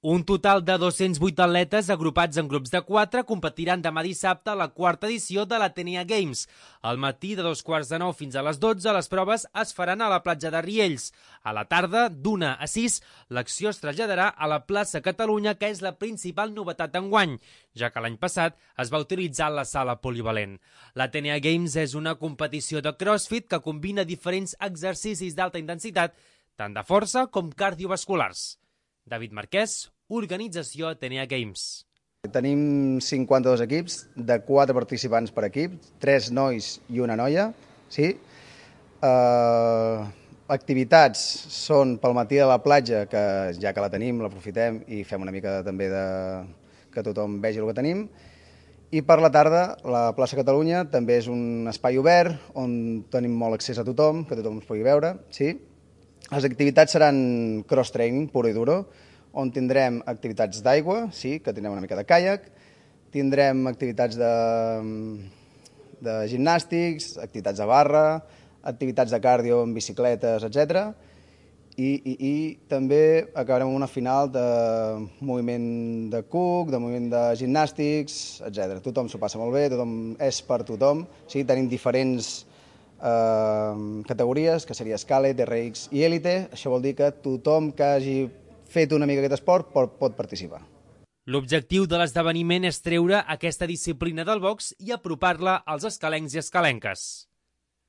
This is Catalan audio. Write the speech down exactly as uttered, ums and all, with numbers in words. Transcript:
Un total de dos-cents vuit atletes agrupats en grups de quatre competiran demà dissabte a la quarta edició de l'Atenea Games. Al matí, de dos quarts de nou fins a les dotze, les proves es faran a la platja de Riells. A la tarda, d'una a sis, l'acció es traslladarà a la plaça Catalunya, que és la principal novetat d'enguany, ja que l'any passat es va utilitzar la sala polivalent. L'Atenea Games és una competició de crossfit que combina diferents exercicis d'alta intensitat, tant de força com cardiovasculars. David Marquès, organització Atenea Games. Tenim cinquanta-dos equips, de quatre participants per equip, tres nois i una noia. Sí? Uh, activitats són pel matí a la platja, que ja que la tenim, l'aprofitem i fem una mica també de que tothom vegi el que tenim. I per la tarda, la plaça Catalunya també és un espai obert on tenim molt accés a tothom, que tothom ens pugui veure. Sí? Les activitats seran cross-training, puro i duro, on tindrem activitats d'aigua, sí, que tindrem una mica de caiac, tindrem activitats de, de gimnàstics, activitats de barra, activitats de cardio amb bicicletes, etcètera. I, i, i també acabarem amb una final de moviment de cuc, de moviment de gimnàstics, etcètera. Tothom s'ho passa molt bé, tothom és per tothom. Sí, tenim diferents eh, categories, que seria Scalet, R X i Elite. Això vol dir que tothom que hagi fet una mica aquest esport pot, pot participar. L'objectiu de l'esdeveniment és treure aquesta disciplina del box i apropar-la als escalencs i escalenques.